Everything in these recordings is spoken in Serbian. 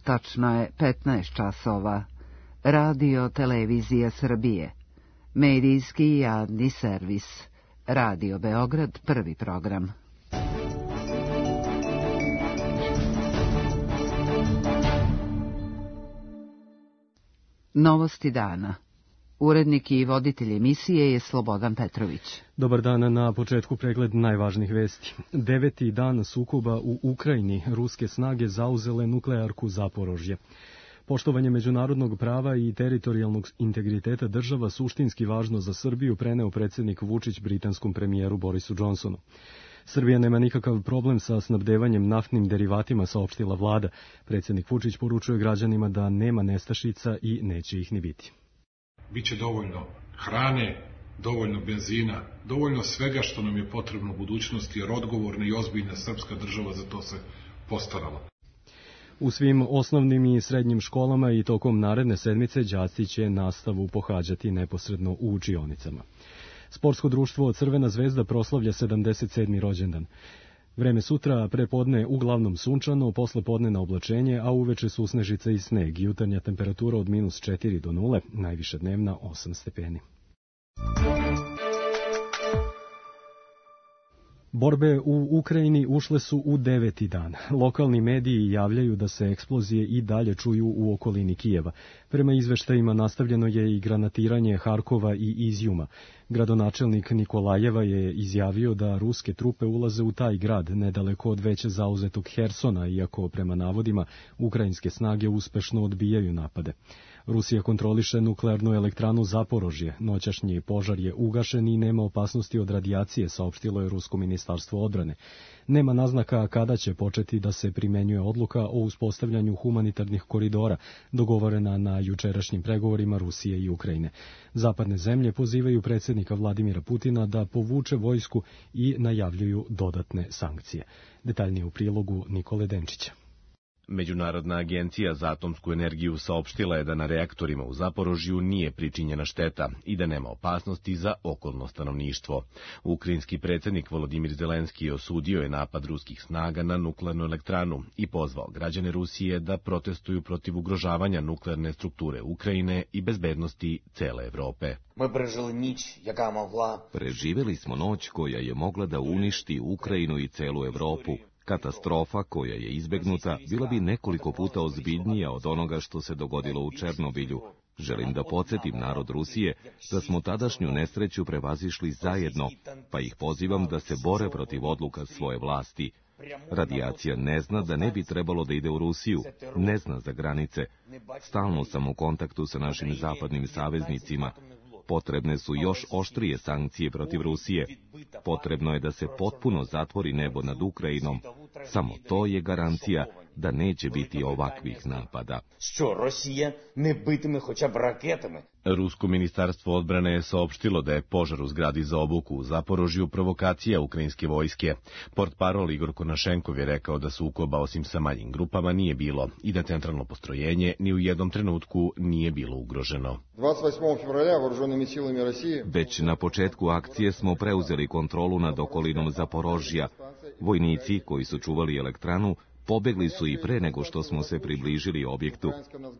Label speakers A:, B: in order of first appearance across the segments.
A: tačno je 15 časova. Radio Televizija Srbije. Medijski i javni servis. Radio Beograd, prvi program. Novosti dana. Urednik i voditelj emisije je Slobodan Petrović.
B: Dobar dan, na početku pregled najvažnijih vesti. 9. dan sukoba u Ukrajini, ruske snage zauzele nuklearku Zaporožje. Poštovanje međunarodnog prava i teritorijalnog integriteta država suštinski važno za Srbiju, preneo predsjednik Vučić britanskom premijeru Borisu Johnsonu. Srbija nema nikakav problem sa snabdevanjem naftnim derivatima, saopštila vlada. Predsjednik Vučić poručuje građanima da nema nestašica i neće ih ni biti.
C: Biće dovoljno hrane, dovoljno benzina, dovoljno svega što nam je potrebno u budućnosti, jer odgovorna i ozbiljna srpska država za to se postarala.
B: U svim osnovnim i srednjim školama i tokom naredne sedmice đaci će nastavu pohađati neposredno u učionicama. Sportsko društvo Crvena zvezda proslavlja 77. rođendan. Vreme sutra, prepodne uglavnom sunčano, posle podne na oblačenje, a uveče susnežica i sneg. Jutarnja temperatura od -4 do 0, najviša dnevna 8 stepeni. Borbe u Ukrajini ušle su u 9. dan. Lokalni mediji javljaju da se eksplozije i dalje čuju u okolini Kijeva. Prema izveštajima nastavljeno je i granatiranje Harkova i Izjuma. Gradonačelnik Nikolajeva je izjavio da ruske trupe ulaze u taj grad nedaleko od već zauzetog Hersona, iako prema navodima ukrajinske snage uspešno odbijaju napade. Rusija kontroliše nuklearnu elektranu Zaporožje. Noćašnji požar je ugašen i nema opasnosti od radijacije, saopštilo je Rusko ministarstvo odbrane. Nema naznaka kada će početi da se primenjuje odluka o uspostavljanju humanitarnih koridora, dogovorena na jučerašnjim pregovorima Rusije i Ukrajine. Zapadne zemlje pozivaju predsjednika Vladimira Putina da povuče vojsku i najavljuju dodatne sankcije. Detaljnije u prilogu Nikole Denčića.
D: Međunarodna agencija za atomsku energiju saopštila je da na reaktorima u Zaporožju nije pričinjena šteta i da nema opasnosti za okolno stanovništvo. Ukrajinski predsjednik Volodimir Zelenski osudio je napad ruskih snaga na nuklearnu elektranu i pozvao građane Rusije da protestuju protiv ugrožavanja nuklearne strukture Ukrajine i bezbednosti cele Evrope.
E: Preživjeli smo noć koja je mogla da uništi Ukrajinu i celu Evropu. Katastrofa koja je izbegnuta bila bi nekoliko puta ozbiljnija od onoga što se dogodilo u Černobilju. Želim da podsjetim narod Rusije da smo tadašnju nesreću prevazišli zajedno, pa ih pozivam da se bore protiv odluka svoje vlasti. Radijacija ne zna da ne bi trebalo da ide u Rusiju, ne zna za granice. Stalno sam u kontaktu sa našim zapadnim saveznicima. Potrebne su još oštrije sankcije protiv Rusije. Potrebno je da se potpuno zatvori nebo nad Ukrajinom. Samo to je garancija da neće biti ovakvih napada.
D: Rusko ministarstvo odbrane je saopštilo da je požar u zgradi za obuku u Zaporožju provokacija ukrajinske vojske. Portparol Igor Konašenkov je rekao da sukoba osim sa manjim grupama nije bilo i da centralno postrojenje ni u jednom trenutku nije bilo ugroženo.
E: Već na početku akcije smo preuzeli kontrolu nad okolinom Zaporožja. Vojnici koji su čuvali elektranu pobegli su i pre nego što smo se približili objektu.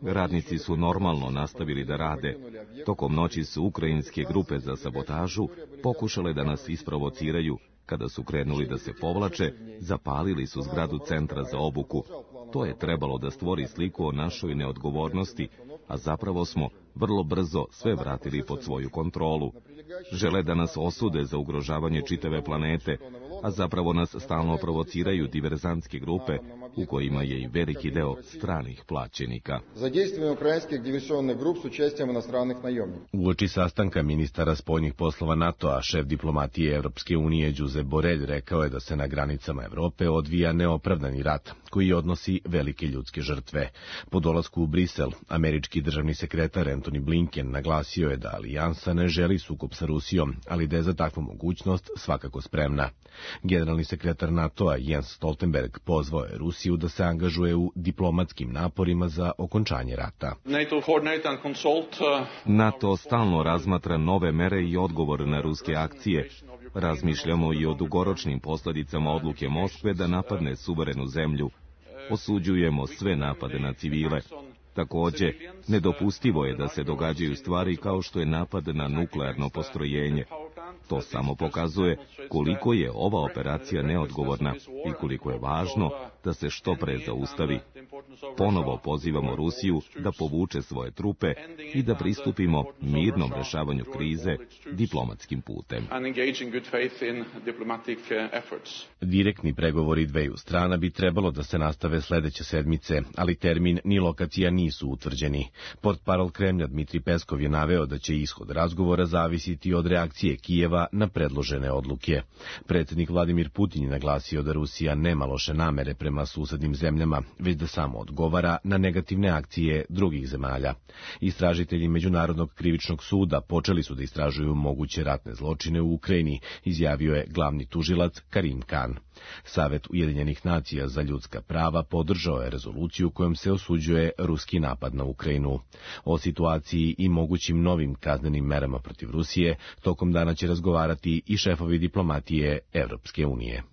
E: Radnici su normalno nastavili da rade. Tokom noći su ukrajinske grupe za sabotažu pokušale da nas isprovociraju. Kada su krenuli da se povlače, zapalili su zgradu centra za obuku. To je trebalo da stvori sliku o našoj neodgovornosti, a zapravo smo vrlo brzo sve vratili pod svoju kontrolu. Žele da nas osude za ugrožavanje čitave planete, a zapravo nas stalno provociraju diverzantske grupe, u kojima je i veliki deo stranih plaćenika.
D: Uoči sastanka ministara spoljnih poslova NATO-a, šef diplomatije Evropske unije Josep Borrell rekao je da se na granicama Evrope odvija neopravdani rat, koji odnosi velike ljudske žrtve. Po dolasku u Brisel, američki državni sekretar Antony Blinken naglasio je da alijansa ne želi sukob sa Rusijom, ali da je za takvu mogućnost svakako spremna. Generalni sekretar NATO-a Jens Stoltenberg pozvao je Rusiju da se angažuje u diplomatskim naporima za okončanje rata.
E: NATO stalno razmatra nove mere i odgovor na ruske akcije. Razmišljamo i o dugoročnim posljedicama odluke Moskve da napadne suverenu zemlju. Osuđujemo sve napade na civile. Takođe, nedopustivo je da se događaju stvari kao što je napad na nuklearno postrojenje. To samo pokazuje koliko je ova operacija neodgovorna i koliko je važno da se što pre zaustavi. Ponovo pozivamo Rusiju da povuče svoje trupe i da pristupimo mirnom rešavanju krize diplomatskim putem.
D: Direktni pregovori dveju strana bi trebalo da se nastave sledeće sedmice, ali termin ni lokacija nisu utvrđeni. Portparol Kremlja Dmitri Peskov je naveo da će ishod razgovora zavisiti od reakcije Kijeva na predložene odluke. Predsjednik Vladimir Putin je naglasio da Rusija nema loše namere prema susednim zemljama, već da samo odgovara na negativne akcije drugih zemalja. Istražitelji Međunarodnog krivičnog suda počeli su da istražuju moguće ratne zločine u Ukrajini, izjavio je glavni tužilac Karim Khan. Savet Ujedinjenih nacija za ljudska prava podržao je rezoluciju kojom se osuđuje ruski napad na Ukrajinu. O situaciji i mogućim novim kaznenim merama protiv Rusije tokom dana će razgovarati i šefovi diplomatije Evropske unije.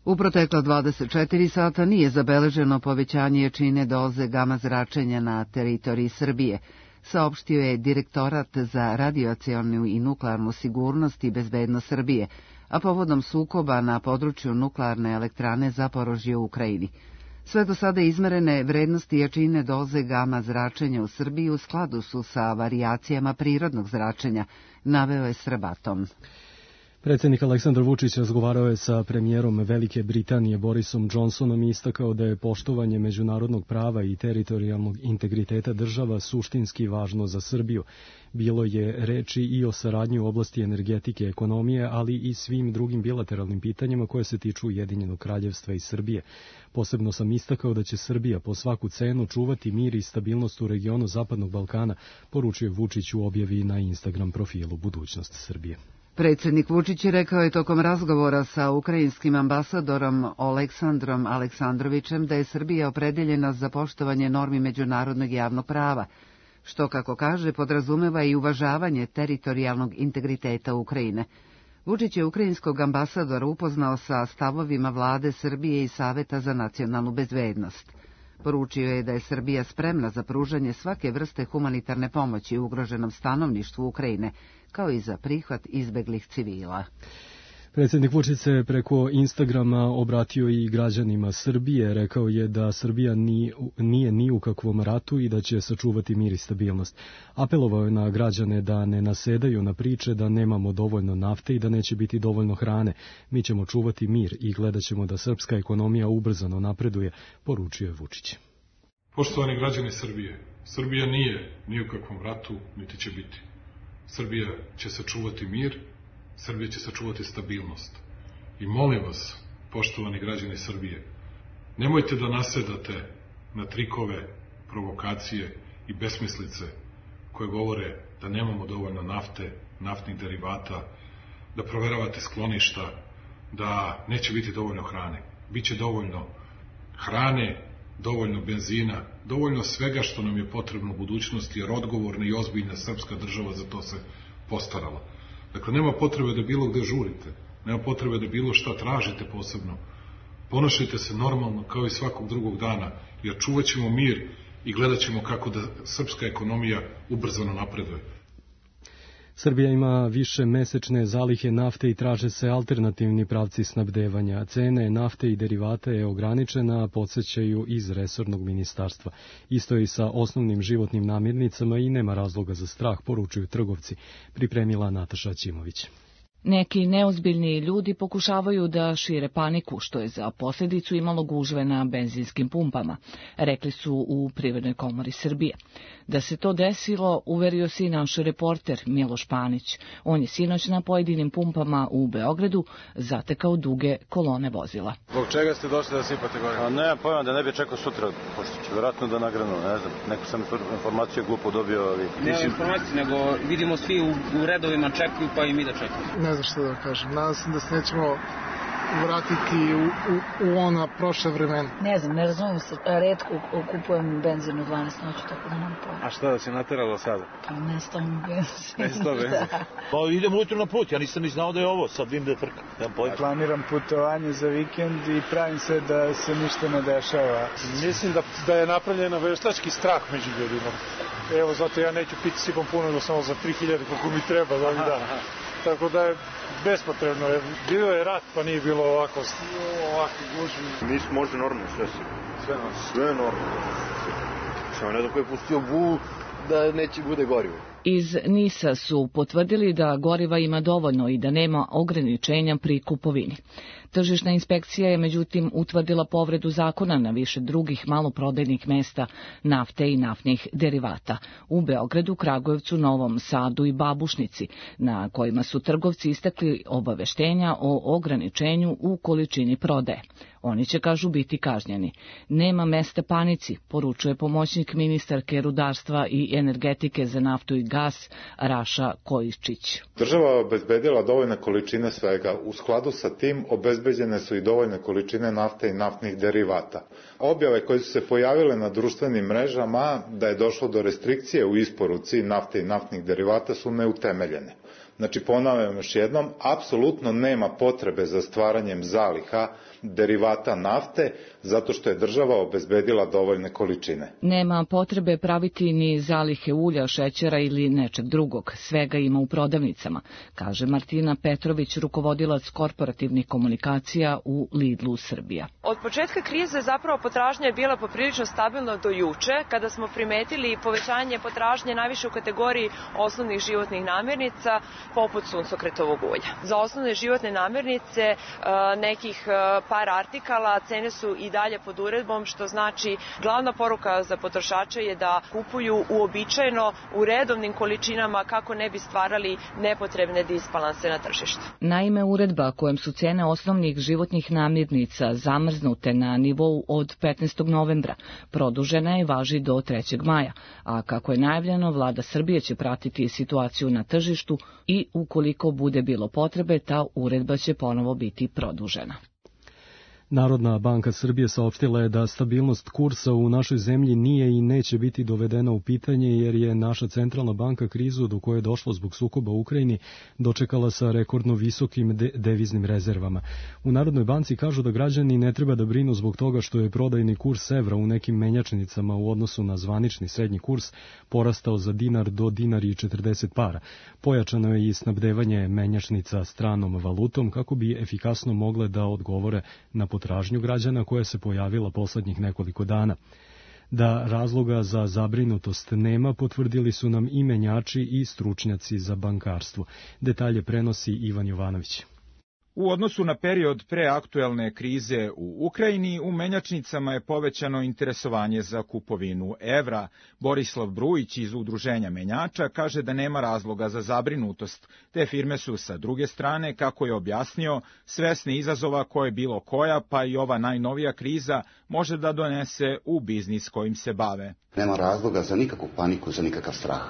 A: U protekla 24 sata nije zabeleženo povećanje jačine doze gama zračenja na teritoriji Srbije, saopštio je Direktorat za radioacionu i nuklearnu sigurnost i bezbednost Srbije, a povodom sukoba na području nuklearne elektrane Zaporožje u Ukrajini. Sve do sada izmerene vrednosti jačine doze gama zračenja u Srbiji u skladu su sa varijacijama prirodnog zračenja, naveo je Srbatom.
B: Predsjednik Aleksandar Vučić razgovarao je sa premijerom Velike Britanije Borisom Johnsonom i istakao da je poštovanje međunarodnog prava i teritorijalnog integriteta država suštinski važno za Srbiju. Bilo je reči i o saradnji u oblasti energetike i ekonomije, ali i svim drugim bilateralnim pitanjima koje se tiču Ujedinjenog kraljevstva i Srbije. Posebno sam istakao da će Srbija po svaku cenu čuvati mir i stabilnost u regionu Zapadnog Balkana, poručio Vučić u objavi na Instagram profilu Budućnost Srbije.
A: Predsjednik Vučić je rekao je tokom razgovora sa ukrajinskim ambasadorom Oleksandrom Aleksandrovićem da je Srbija opredeljena za poštovanje normi međunarodnog javnog prava, što, kako kaže, podrazumeva i uvažavanje teritorijalnog integriteta Ukrajine. Vučić je ukrajinskog ambasadora upoznao sa stavovima vlade Srbije i Saveta za nacionalnu bezbednost. Poručio je da je Srbija spremna za pružanje svake vrste humanitarne pomoći ugroženom stanovništvu Ukrajine, kao i za prihvat izbeglih civila.
B: Predsjednik Vučić se preko Instagrama obratio i građanima Srbije. Rekao je da Srbija nije ni u kakvom ratu i da će sačuvati mir i stabilnost. Apelovao je na građane da ne nasedaju na priče da nemamo dovoljno nafte i da neće biti dovoljno hrane. Mi ćemo čuvati mir i gledat ćemo da srpska ekonomija ubrzano napreduje, poručio je Vučić.
C: Poštovani građani Srbije, Srbija nije ni u kakvom ratu, niti će biti. Srbija će sačuvati mir, Srbija će sačuvati stabilnost. I molim vas, poštovani građani Srbije, nemojte da nasedate na trikove, provokacije i besmislice koje govore da nemamo dovoljno nafte, naftnih derivata, da proveravate skloništa, da neće biti dovoljno hrane. Biće dovoljno hrane, dovoljno benzina, dovoljno svega što nam je potrebno u budućnosti, jer odgovorna i ozbiljna srpska država za to se postarala. Dakle, nema potrebe da bilo gde žurite, nema potrebe da bilo šta tražite posebno. Ponašajte se normalno kao i svakog drugog dana, jer čuvat ćemo mir i gledat ćemo kako da srpska ekonomija ubrzano napreduje.
B: Srbija ima više mesečne zalihe nafte i traže se alternativni pravci snabdevanja. Cene nafte i derivata je ograničena, podsjećaju iz resornog ministarstva. Isto je i sa osnovnim životnim namirnicama i nema razloga za strah, poručuju trgovci, pripremila Nataša Ćimović.
F: Neki neozbiljni ljudi pokušavaju da šire paniku, što je za posljedicu imalo gužve na benzinskim pumpama, rekli su u Privrednoj komori Srbije. Da se to desilo, uverio se i naš reporter Miloš Panić. On je sinoć na pojedinim pumpama u Beogradu zatekao duge kolone vozila.
G: Zbog čega ste došli da sipate gore? A ne, pojma da ne bi čekao sutra, pošto će vjerojatno da nagranu, ne znam. Neku sam informaciju glupo dobio, ali...
H: Ne informaciju, nego vidimo svi u redovima čekuju, pa i mi da čekamo.
I: Ne znam što da kažem. Nadam se da se nećemo vratiti u ona prošla vremena.
J: Ne znam, ne razumijem se. Retko kupujem benzin u 12 noću, tako da nam pojma.
K: A šta da se nateralo sada?
J: Pa nestao mi benzin.
K: Nestao benzin?
L: Pa idem ujutro na put, ja nisam ni znao da je ovo, sad vidim da je frka.
M: Planiram putovanje za vikend i pravim se da se ništa ne dešava.
C: Mislim da je napravljena veštački strah među ljudima. Evo, zato ja neću piti sipom puno, da samo za 3000 koliko mi treba za ovih dana. Tako da je bespotrebno. Bilo je rat, pa nije bilo ovako gužvi.
K: Mi smo možda normalno, sve normalno. Samo ne znam ko je pustio bull da neće bude gorivo.
F: Iz NIS-a su potvrdili da goriva ima dovoljno i da nema ograničenja pri kupovini. Tržišna inspekcija je međutim utvrdila povredu zakona na više drugih maloprodajnih mesta nafte i naftnih derivata u Beogradu, Kragujevcu, Novom Sadu i Babušnici, na kojima su trgovci istakli obaveštenja o ograničenju u količini prodaje. Oni će, kažu, biti kažnjeni. Nema mesta panici, poručuje pomoćnik ministarke rudarstva i energetike za naftu i gas Raša Kojičić.
N: Država je obezbedila dovoljne količine svega. U skladu sa tim obezbeđene su i dovoljne količine nafte i naftnih derivata. Objave koje su se pojavile na društvenim mrežama da je došlo do restrikcije u isporuci nafte i naftnih derivata su neutemeljene. Znači, ponavljam još jednom, apsolutno nema potrebe za stvaranjem zaliha derivata nafte, zato što je država obezbedila dovoljne količine.
F: Nema potrebe praviti ni zalihe ulja, šećera ili nečeg drugog. Svega ima u prodavnicama, kaže Martina Petrović, rukovodilac korporativnih komunikacija u Lidlu Srbija.
O: Od početka krize zapravo potražnja je bila poprilično stabilna do juče, kada smo primetili povećanje potražnje najviše u kategoriji osnovnih životnih namirnica, poput suncokretovog ulja. Za osnovne životne namirnice nekih par artikala cene su i dalje pod uredbom, što znači glavna poruka za potrošače je da kupuju uobičajeno u redovnim količinama kako ne bi stvarali nepotrebne disbalanse na tržištu.
F: Naime, uredba kojom su cene osnovnih životnih namirnica zamrznute na nivou od 15. novembra produžena je, važi do 3. maja, a kako je najavljeno, vlada Srbije će pratiti situaciju na tržištu i ukoliko bude bilo potrebe, ta uredba će ponovo biti produžena.
B: Narodna banka Srbije saopštila je da stabilnost kursa u našoj zemlji nije i neće biti dovedena u pitanje, jer je naša centralna banka krizu do koje je došlo zbog sukoba u Ukrajini dočekala sa rekordno visokim deviznim rezervama. U Narodnoj banci kažu da građani ne treba da brinu zbog toga što je prodajni kurs evra u nekim menjačnicama u odnosu na zvanični srednji kurs porastao za dinar do dinar i 40 para. Pojačano je i snabdevanje menjačnica stranom valutom kako bi efikasno mogle da odgovore na potražnju građana koja se pojavila poslednjih nekoliko dana. Da razloga za zabrinutost nema, potvrdili su nam i menjači i stručnjaci za bankarstvo. Detalje prenosi Ivan Jovanović.
P: U odnosu na period pre aktuelne krize u Ukrajini, u menjačnicama je povećano interesovanje za kupovinu evra. Borislav Brujić iz Udruženja menjača kaže da nema razloga za zabrinutost. Te firme su sa druge strane, kako je objasnio, svesni izazova koje bilo koja, pa i ova najnovija kriza, može da donese u biznis kojim se bave.
Q: Nema razloga za nikakvu paniku, za nikakav strah.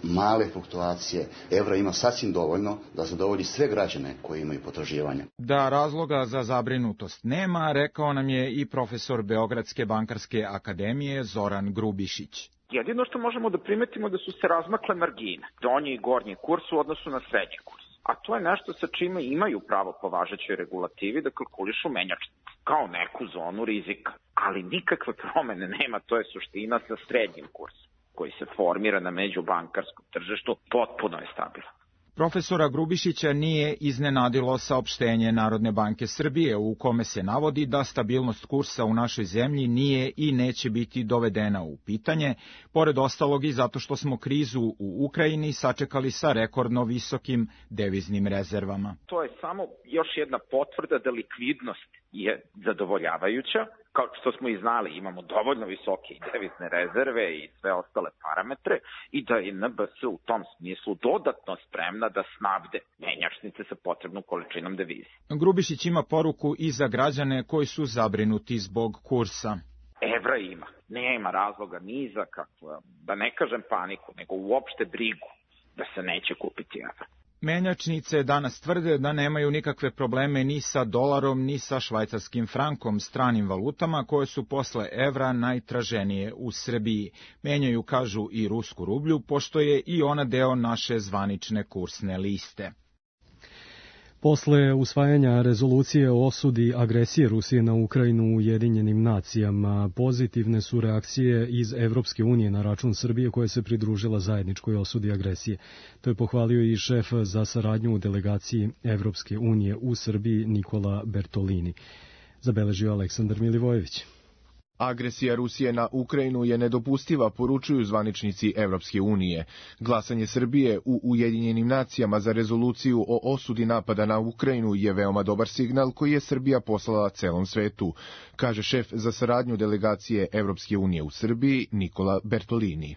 Q: Male fluktuacije evra ima sasvim dovoljno da zadovolji sve građane koji imaju potraživanja.
P: Da razloga za zabrinutost nema, rekao nam je i profesor Beogradske bankarske akademije Zoran Grubišić.
R: Jedino što možemo da primetimo da su se razmakle margine, donji i gornji kurs u odnosu na srednji kurs. A to je nešto sa čime imaju pravo po važećoj regulativi da kalkulišu menjačnice, kao neku zonu rizika. Ali nikakve promene nema, to je suština sa srednjim kursom, koji se formira na međubankarskom tržištu, potpuno je stabilan.
P: Profesora Grubišića nije iznenadilo saopštenje Narodne banke Srbije u kome se navodi da stabilnost kursa u našoj zemlji nije i neće biti dovedena u pitanje, pored ostalog i zato što smo krizu u Ukrajini sačekali sa rekordno visokim deviznim rezervama.
R: To je samo još jedna potvrda da likvidnost je zadovoljavajuća. Kao što smo i znali, imamo dovoljno visoke devizne rezerve i sve ostale parametre i da je NBS u tom smislu dodatno spremna da snabde menjačnice sa potrebnom količinom devize.
P: Grubišić ima poruku i za građane koji su zabrinuti zbog kursa.
R: Evra ima. Nema razloga ni za kakvu, da ne kažem paniku, nego uopšte brigu da se neće kupiti evra.
P: Menjačnice danas tvrde da nemaju nikakve probleme ni sa dolarom, ni sa švajcarskim frankom, stranim valutama koje su posle evra najtraženije u Srbiji. Menjaju, kažu, i rusku rublju, pošto je i ona deo naše zvanične kursne liste.
B: Posle usvajanja rezolucije o osudi agresije Rusije na Ukrajinu u Ujedinjenim nacijama, pozitivne su reakcije iz Evropske unije na račun Srbije koja se pridružila zajedničkoj osudi agresije. To je pohvalio i šef za saradnju u delegaciji Evropske unije u Srbiji Nikola Bertolini. Zabeležio Aleksandar Milivojević.
S: Agresija Rusije na Ukrajinu je nedopustiva, poručuju zvaničnici Evropske unije. Glasanje Srbije u Ujedinjenim nacijama za rezoluciju o osudi napada na Ukrajinu je veoma dobar signal koji je Srbija poslala celom svetu, kaže šef za saradnju delegacije Evropske unije u Srbiji Nikola Bertolini.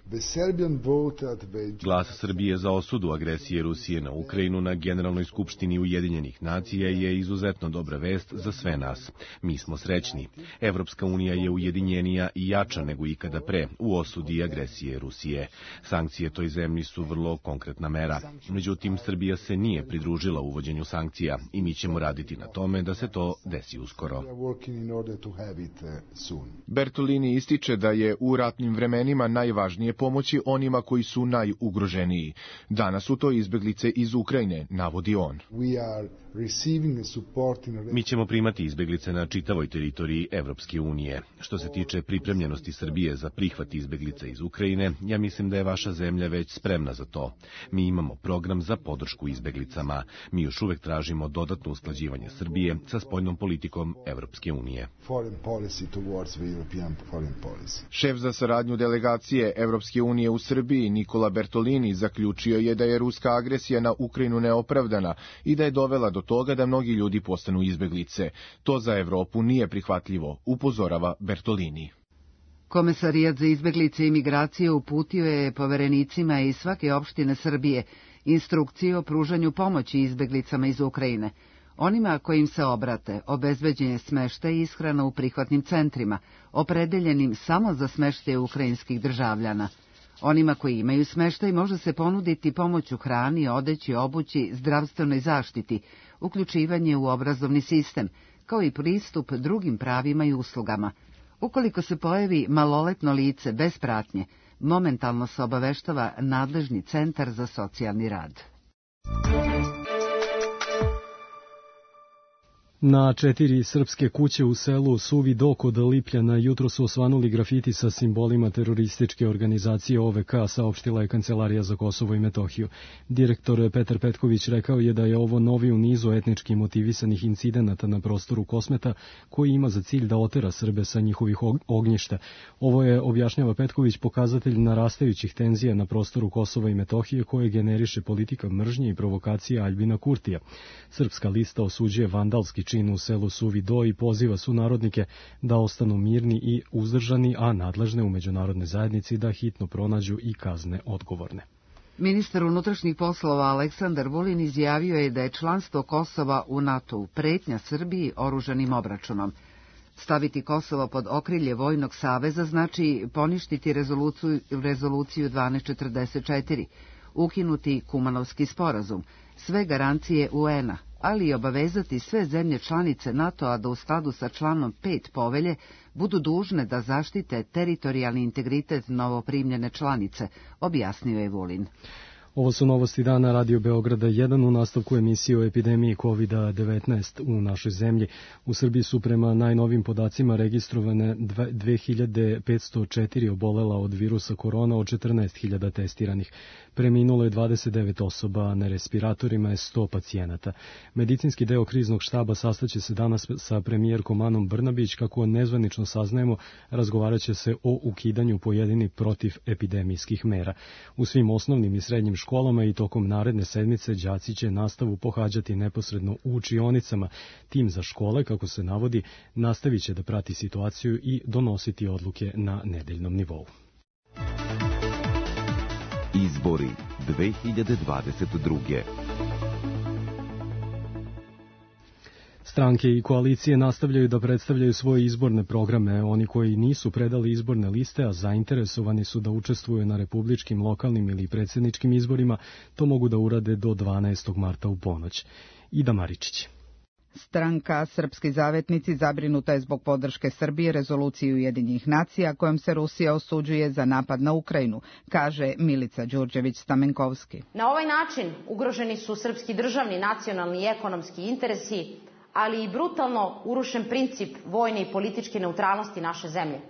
D: Glas Srbije za osudu agresije Rusije na Ukrajinu na Generalnoj skupštini Ujedinjenih nacija je izuzetno dobra vest za sve nas. Mi smo srećni. Evropska unija je ujedinjenija i jača nego ikada pre u osudi agresije Rusije. Sankcije toj zemlji su vrlo konkretna mera. Međutim, Srbija se nije pridružila uvođenju sankcija i mi ćemo raditi na tome da se to desi uskoro.
S: Bertolini ističe da je u ratnim vremenima najvažnije pomoći onima koji su najugroženiji. Danas su to izbeglice iz Ukrajine, navodi on.
D: Mi ćemo primati izbeglice na čitavoj teritoriji Evropske unije. Što se tiče pripremljenosti Srbije za prihvat izbeglica iz Ukrajine, ja mislim da je vaša zemlja već spremna za to. Mi imamo program za podršku izbeglicama. Mi još uvek tražimo dodatno usklađivanje Srbije sa spoljnom politikom Evropske unije.
S: Šef za saradnju delegacije Evropske unije u Srbiji Nikola Bertolini zaključio je da je ruska agresija na Ukrajinu neopravdana i da je dovela do toga da mnogi ljudi postanu izbeglice. To za Evropu nije prihvatljivo, upozorava Bertolini.
A: Komesarijat za izbeglice i migracije uputio je poverenicima iz svake opštine Srbije instrukcije o pružanju pomoći izbeglicama iz Ukrajine. Onima kojim se obrate obezbeđen je smeštaj i ishrana u prihvatnim centrima, opredeljenim samo za smeštaj ukrajinskih državljana. Onima koji imaju smeštaj može se ponuditi pomoć u hrani, odeći, obući, zdravstvenoj zaštiti, uključivanje u obrazovni sistem, kao i pristup drugim pravima i uslugama. Ukoliko se pojavi maloletno lice bez pratnje, momentalno se obaveštava nadležni centar za socijalni rad.
B: Na 4 srpske kuće u selu Suvi Do kod Lipljana jutro su osvanuli grafiti sa simbolima terorističke organizacije OVK, saopštila je Kancelarija za Kosovo i Metohiju. Direktor Petar Petković rekao je da je ovo novi u nizu etnički motivisanih incidenata na prostoru Kosmeta koji ima za cilj da otera Srbe sa njihovih ognjišta. Ovo je, objašnjava Petković, pokazatelj narastajućih tenzija na prostoru Kosova i Metohije koje generiše politika mržnje i provokacije Aljbina Kurtija. Srpska lista osuđuje vandalski čin u selu Suvi Do i poziva sunarodnike da ostanu mirni i uzdržani, a nadležne u međunarodnoj zajednici da hitno pronađu i kazne odgovorne.
A: Ministar unutrašnjih poslova Aleksandar Vulin izjavio je da je članstvo Kosova u NATO-u pretnja Srbiji oružanim obračunom. Staviti Kosovo pod okrilje Vojnog saveza znači poništiti rezoluciju 1244, ukinuti Kumanovski sporazum, sve garancije UN-a, ali i obavezati sve zemlje članice NATO-a da u skladu sa članom 5 povelje budu dužne da zaštite teritorijalni integritet novoprimljene članice, objasnio je Vulin.
B: Ovo su novosti dana Radio Beograda 1 u nastavku emisije o epidemiji COVID-19 u našoj zemlji. U Srbiji su prema najnovim podacima registrovane 2504 obolela od virusa korona, od 14.000 testiranih. Preminulo je 29 osoba, na respiratorima je 100 pacijenata. Medicinski deo kriznog štaba sastaće se danas sa premijerkom Anom Brnabić. Kako nezvanično saznajemo, razgovarat će se o ukidanju pojedinih protivepidemijskih mera. U svim osnovnim i srednjim školama i tokom naredne sedmice đaci će nastavu pohađati neposredno u učionicama. Tim za škole, kako se navodi, nastavit će da prati situaciju i donositi odluke na nedeljnom nivou.
E: Izbori 2022.
B: Stranke i koalicije nastavljaju da predstavljaju svoje izborne programe. Oni koji nisu predali izborne liste, a zainteresovani su da učestvuju na republičkim, lokalnim ili predsjedničkim izborima, to mogu da urade do 12. marta u ponoć. Ida Maričić.
T: Stranka Srpski zavetnici zabrinuta je zbog podrške Srbije rezoluciji Ujedinjenih nacija kojom se Rusija osuđuje za napad na Ukrajinu, kaže Milica Đurđević-Stamenkovski.
U: Na ovaj način ugroženi su srpski državni, nacionalni i ekonomski interesi, ali i brutalno urušen princip vojne i političke neutralnosti naše zemlje.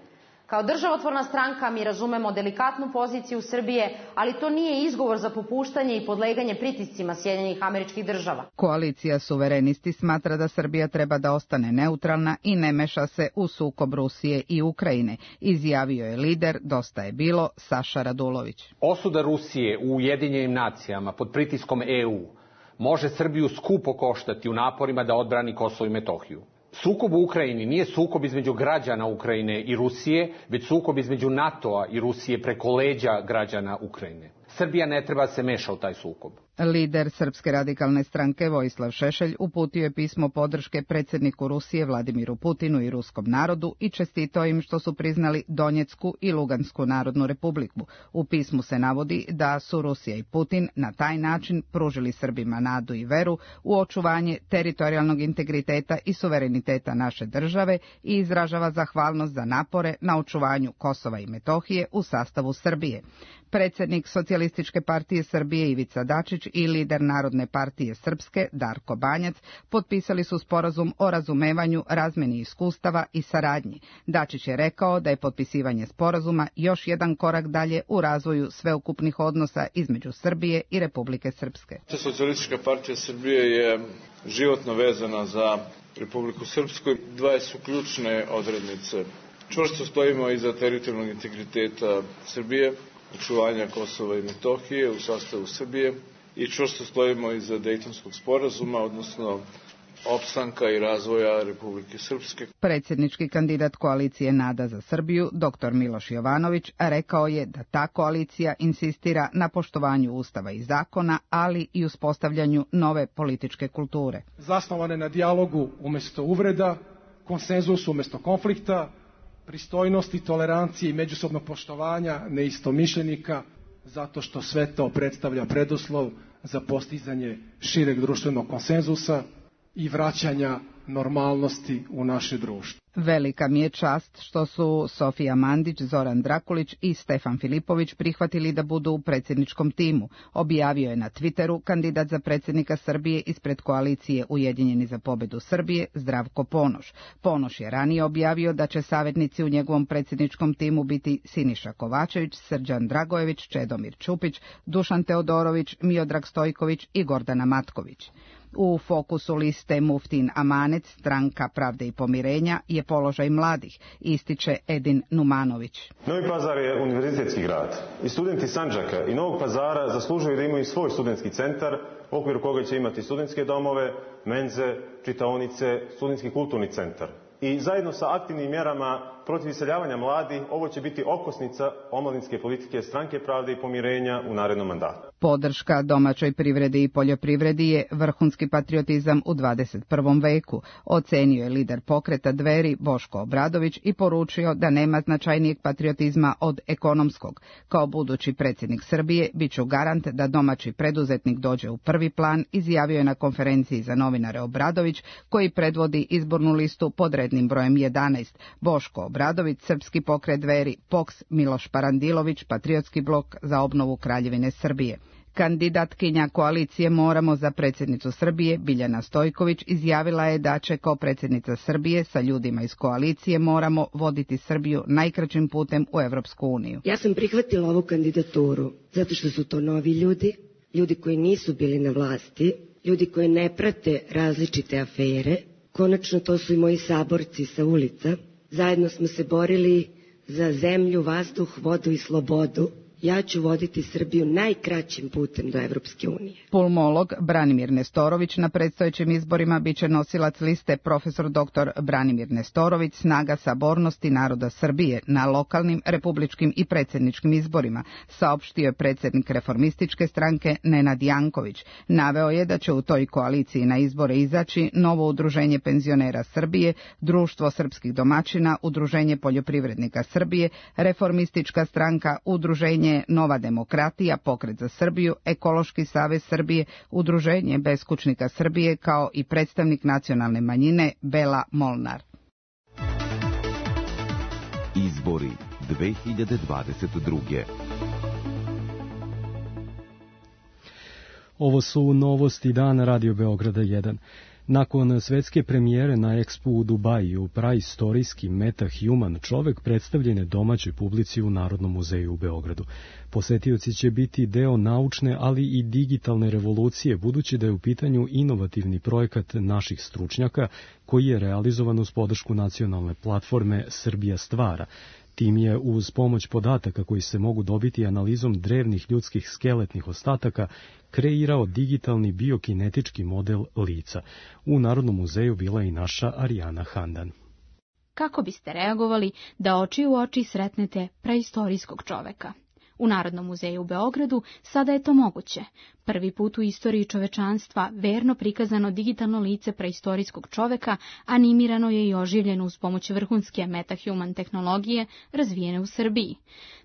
U: Kao državotvorna stranka mi razumemo delikatnu poziciju Srbije, ali to nije izgovor za popuštanje i podleganje pritiscima Sjedinjenih Američkih Država.
T: Koalicija suverenisti smatra da Srbija treba da ostane neutralna i ne meša se u sukob Rusije i Ukrajine, izjavio je lider Dosta je bilo Saša Radulović.
V: Osuda Rusije u Ujedinjenim nacijama pod pritiskom EU može Srbiju skupo koštati u naporima da odbrani Kosovo i Metohiju. Sukob u Ukrajini nije sukob između građana Ukrajine i Rusije, već sukob između NATO-a i Rusije preko leđa građana Ukrajine. Srbija ne treba se meša u taj sukob.
T: Lider Srpske radikalne stranke Vojislav Šešelj uputio je pismo podrške predsjedniku Rusije Vladimiru Putinu i ruskom narodu i čestitao im što su priznali Donjecku i Lugansku narodnu republiku. U pismu se navodi da su Rusija i Putin na taj način pružili Srbima nadu i veru u očuvanje teritorijalnog integriteta i suvereniteta naše države i izražava zahvalnost za napore na očuvanju Kosova i Metohije u sastavu Srbije. Predsjednik Socijalističke partije Srbije Ivica Dačić i lider Narodne partije Srpske Darko Banjac potpisali su sporazum o razumevanju, razmeni iskustava i saradnji. Dačić je rekao da je potpisivanje sporazuma još jedan korak dalje u razvoju sveukupnih odnosa između Srbije i Republike Srpske.
W: Socijalistička partija Srbije je životno vezana za Republiku Srpsku. Dve su ključne odrednice. Čvrsto stojimo iza teritorijalnog integriteta Srbije, očuvanja Kosova i Metohije u sastavu Srbije i čvrsto stojimo iza Dejtonskog sporazuma, odnosno opstanka i razvoja Republike Srpske.
T: Predsjednički kandidat koalicije Nada za Srbiju, dr. Miloš Jovanović, rekao je da ta koalicija insistira na poštovanju Ustava i zakona, ali i uspostavljanju nove političke kulture.
I: Zasnovane na dijalogu umjesto uvreda, konsenzusu umjesto konflikta, pristojnosti, tolerancije i međusobnog poštovanja neistomišljenika, zato što sve to predstavlja preduslov za postizanje šireg društvenog konsenzusa i vraćanja normalnosti u naše društvo.
T: Velika mi je čast što su Sofija Mandić, Zoran Drakulić i Stefan Filipović prihvatili da budu u predsjedničkom timu, objavio je na Twitteru kandidat za predsjednika Srbije ispred koalicije Ujedinjeni za pobedu Srbije Zdravko Ponoš. Ponoš je ranije objavio da će savjetnici u njegovom predsjedničkom timu biti Siniša Kovačević, Srđan Dragojević, Čedomir Ćupić, Dušan Teodorović, Miodrag Stojković i Gordana Matković. U fokusu liste Muftin Amanet, Stranka pravde i pomirenja, je položaj mladih, ističe Edin Numanović.
X: Novi Pazar je univerzitetski grad i studenti Sandžaka i Novog Pazara zaslužuju da imaju svoj studentski centar u okviru koga će imati studentske domove, menze, čitaonice, studentski kulturni centar. I zajedno sa aktivnim mjerama protiv iseljavanja mladih, ovo će biti okosnica omladinske politike Stranke pravde i pomirenja u narednom mandatu.
T: Podrška domaćoj privredi i poljoprivredi je vrhunski patriotizam u 21. veku, ocenio je lider pokreta Dveri Boško Obradović i poručio da nema značajnijeg patriotizma od ekonomskog. Kao budući predsjednik Srbije biću garant da domaći preduzetnik dođe u prvi plan, izjavio je na konferenciji za novinare Obradović, koji predvodi izbornu listu pod rednim brojem 11. Boško Obradović, Srpski pokret Dveri, POKS, Miloš Parandilović, Patriotski blok za obnovu Kraljevine Srbije. Kandidatkinja koalicije Moramo za predsjednicu Srbije, Biljana Stojković, izjavila je da će kao predsjednica Srbije sa ljudima iz koalicije Moramo voditi Srbiju najkraćim putem u Evropsku uniju.
Y: Ja sam prihvatila ovu kandidaturu zato što su to novi ljudi, ljudi koji nisu bili na vlasti, ljudi koji ne prate različite afere. Konačno to su i moji saborci sa ulica. Zajedno smo se borili za zemlju, vazduh, vodu i slobodu. ja ću voditi Srbiju najkraćim putem do Evropske unije.
T: Pulmolog Branimir Nestorović na predstojećim izborima biće nosilac liste profesor dr. Branimir Nestorović, Snaga sabornosti naroda Srbije na lokalnim, republičkim i predsjedničkim izborima, saopštio je predsjednik Reformističke stranke Nenad Janković. Naveo je da će u toj koaliciji na izbore izaći Novo udruženje penzionera Srbije, Društvo srpskih domaćina, Udruženje poljoprivrednika Srbije, Reformistička stranka, Udruženje Nova demokratija, Pokret za Srbiju, Ekološki savez Srbije, Udruženje beskućnika Srbije, kao i predstavnik nacionalne manjine Bela Molnar.
E: Izbori 2022.
B: Ovo su novosti dana Radio Beograda 1. Nakon svetske premijere na Expo u Dubaju, praistorijski MetaHuman čovek predstavljen je domaćoj publici u Narodnom muzeju u Beogradu. Posetioci će biti deo naučne, ali i digitalne revolucije, budući da je u pitanju inovativni projekat naših stručnjaka, koji je realizovan uz podršku nacionalne platforme Srbija stvara. Tim je uz pomoć podataka koji se mogu dobiti analizom drevnih ljudskih skeletnih ostataka kreirao digitalni biokinetički model lica. U Narodnom muzeju bila je i naša Arijana Handan.
G: Kako biste reagovali da oči u oči sretnete preistorijskog čoveka? U Narodnom muzeju u Beogradu sada je to moguće. Prvi put u istoriji čovečanstva verno prikazano digitalno lice preistorijskog čoveka animirano je i oživljeno uz pomoć vrhunske MetaHuman tehnologije razvijene u Srbiji.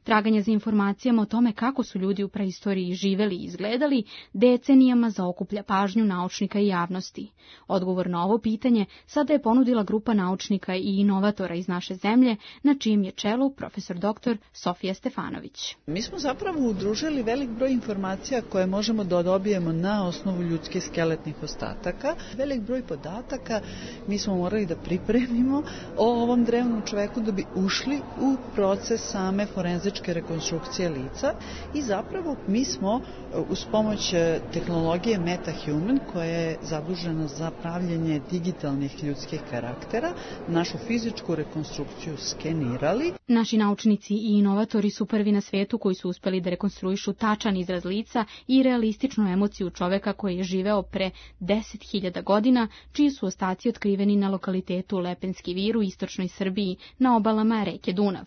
G: Traganje za informacijama o tome kako su ljudi u preistoriji živeli i izgledali decenijama zaokuplja pažnju naučnika i javnosti. Odgovor na ovo pitanje sada je ponudila grupa naučnika i inovatora iz naše zemlje, na čijem je čelu profesor dr. Sofija Stefanović.
H: Mi smo zapravo udružili velik broj informacija koje možemo da dobijemo na osnovu ljudskih skeletnih ostataka. Velik broj podataka mi smo morali da pripremimo o ovom drevnom čoveku da bi ušli u proces same forenzičke rekonstrukcije lica i zapravo mi smo uz pomoć tehnologije MetaHuman koja je zadužena za pravljenje digitalnih ljudskih karaktera našu fizičku rekonstrukciju skenirali.
G: Naši naučnici i inovatori su prvi na svetu koji su uspeli da rekonstruišu tačan izraz lica i realističnu emociju čoveka koji je živeo pre 10.000 godina, čiji su ostaci otkriveni na lokalitetu Lepenski vir u istočnoj Srbiji na obalama reke Dunav.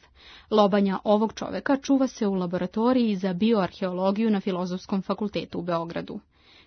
G: Lobanja ovog čoveka čuva se u laboratoriji za bioarheologiju na Filozofskom fakultetu u Beogradu.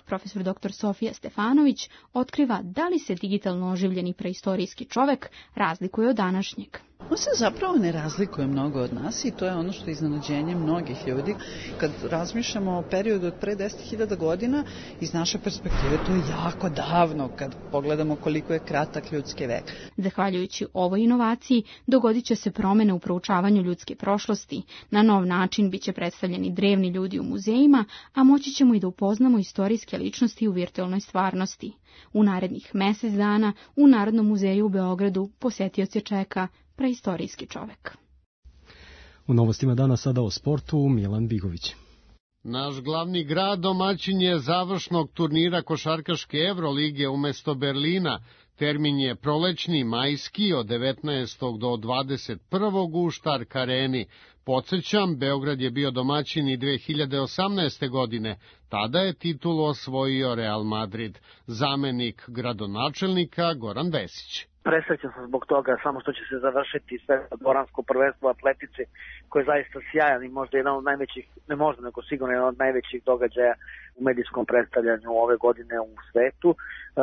G: Profesor dr. Sofija Stefanović otkriva da li se digitalno oživljeni preistorijski čovek razlikuje od današnjeg.
H: On se zapravo ne razlikuje mnogo od nas i to je ono što je iznenađenje mnogih ljudi. Kad razmišljamo o periodu od pre 10.000 godina, iz naše perspektive to je jako davno kad pogledamo koliko je kratak ljudski vek.
G: Zahvaljujući ovoj inovaciji dogodit će se promene u proučavanju ljudske prošlosti. Na nov način biće predstavljeni drevni ljudi u muzejima, a moći ćemo i da upoznamo istorijske ličnosti u virtualnoj stvarnosti. U narednih mesec dana u Narodnom muzeju u Beogradu posetioce čeka preistorijski čovek.
B: U novostima dana sada o sportu Milan Bigović.
J: Naš glavni grad domaćin je završnog turnira košarkaške Evrolige umesto Berlina. Termin je prolećni majski od 19. do 21. u Štark areni. Podsjećam, Beograd je bio domaćin i 2018. godine. Tada je titulu osvojio Real Madrid. Zamenik gradonačelnika Goran Vesić.
L: Presrećan sam zbog toga, samo što će se završiti sve dvoransko prvenstvo u atletici, koje je zaista sjajan i možda jedan od najvećih, ne možda nego sigurno jedan od najvećih događaja u medijskom predstavljanju ove godine u svetu.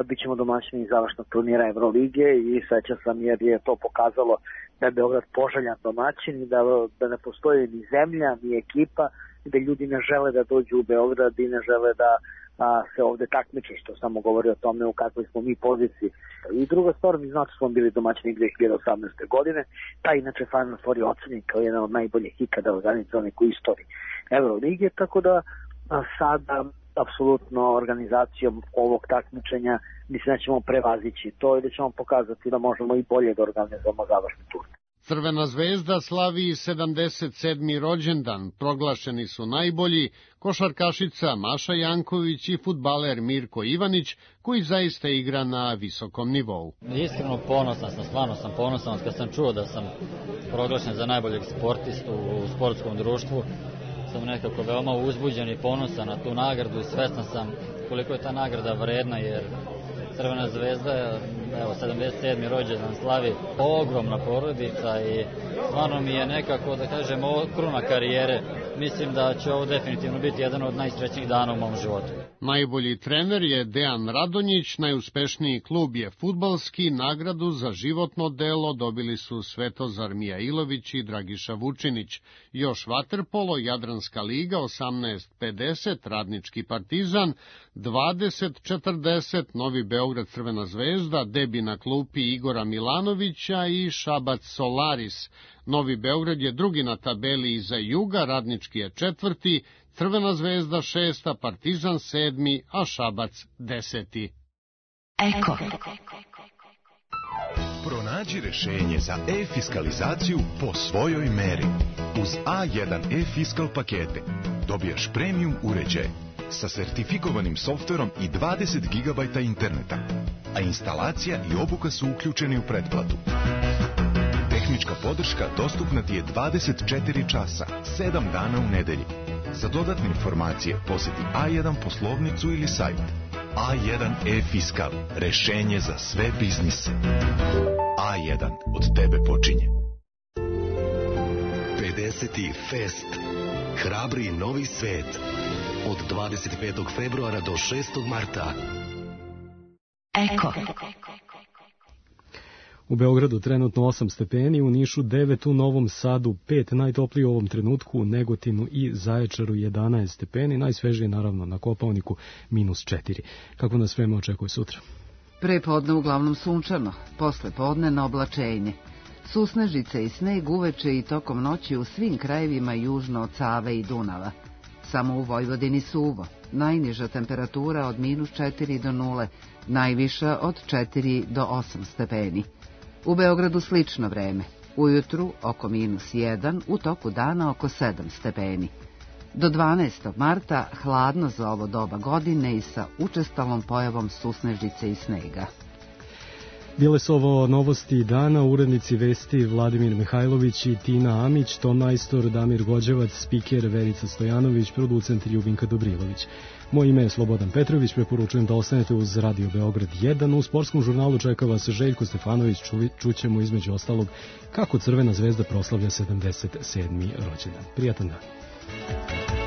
L: Bićemo domaćini završnog turnira Evrolige i srećan sam jer je to pokazalo da je Beograd poželjan domaćin i da ne postoji ni zemlja, ni ekipa, da ljudi ne žele da dođu u Beograd i ne žele da se ovde takmiče, što samo govori o tome u kakvoj smo mi poziciji. I druga stvar, mi znači smo bili domaćini 2018. godine, ta inače Final Four je ocenjen kao jedan od najboljih ikada organizovanih u istoriji Evrolige, tako da sada apsolutno organizacijom ovog takmičenja mislim da ćemo prevazići to i da ćemo pokazati da možemo i bolje da organizujemo završni turnir.
J: Crvena zvezda slavi 77. rođendan. Proglašeni su najbolji košarkašica Maša Janković i fudbaler Mirko Ivanić, koji zaista igra na visokom nivou.
M: Iskreno ponosan sam, stvarno sam ponosan kad sam čuo da sam proglašen za najboljeg sportistu u sportskom društvu. sam nekako veoma uzbuđen i ponosan na tu nagradu i svestan sam koliko je ta nagrada vredna, jer Crvena zvezda, evo, 77. rođendan slavi, ogromna porodica i stvarno mi je nekako, da kažem, kruna karijere. Mislim da će ovo definitivno biti jedan od najsrećnijih dana u mom životu.
J: Najbolji trener je Dejan Radonjić, najuspešniji klub je fudbalski, nagradu za životno delo dobili su Svetozar Mijailović i Dragiša Vučinić. Još vaterpolo, Jadranska liga 18:50, Radnički Partizan, 20:40, Novi Beograd Crvena zvezda, debi na klupi Igora Milanovića i Šabac Solaris. Novi Beograd je drugi na tabeli iza Juga, Radnički je četvrti, Crvena zvezda 6, Partizan 7, a Šabac 10.
C: Eko. Pronađi rešenje za e-fiskalizaciju po svojoj meri. Uz A1 e-fiskal pakete dobijaš premium uređaj sa sertifikovanim softverom i 20 GB interneta, a instalacija i obuka su uključeni u pretplatu. Tehnička podrška dostupna ti je 24 časa, 7 dana u nedelji. Za dodatne informacije poseti A1 poslovnicu ili sajt. A1 e-fiskal, rešenje za sve biznise. A1, od tebe počinje.
F: 50. Fest. Hrabri novi svet. Od 25. februara do 6. marta.
C: Eko.
B: U Beogradu trenutno 8 stepeni, u Nišu 9, u Novom Sadu 5, najtopliji u ovom trenutku, u Negotinu i Zaječaru 11 stepeni, najsvežije naravno na Kopaoniku -4. Kako nas vreme očekuje sutra?
A: Pre podne uglavnom sunčano, posle podne na oblačenje. Susnežice i sneg uveče i tokom noći u svim krajevima južno od Save i Dunava. Samo u Vojvodini suvo, najniža temperatura od -4 do 0, najviša od 4 do 8 stepeni. U Beogradu slično vreme, ujutru oko -1, u toku dana oko 7 stepeni. Do 12. marta hladno za ovo doba godine i sa učestalom pojavom susnežice i snega.
B: Bile su ovo novosti dana, urednici vesti Vladimir Mihajlović i Tina Amić, ton majstor Damir Gođevac, spiker Verica Stojanović, producent Ljubinka Dobrilović. Moje ime je Slobodan Petrović, preporučujem da ostanete uz Radio Beograd 1. U sportskom žurnalu čeka vas Željko Stefanović, čućemo između ostalog kako Crvena zvezda proslavlja 77. rođendan. Prijatan dan.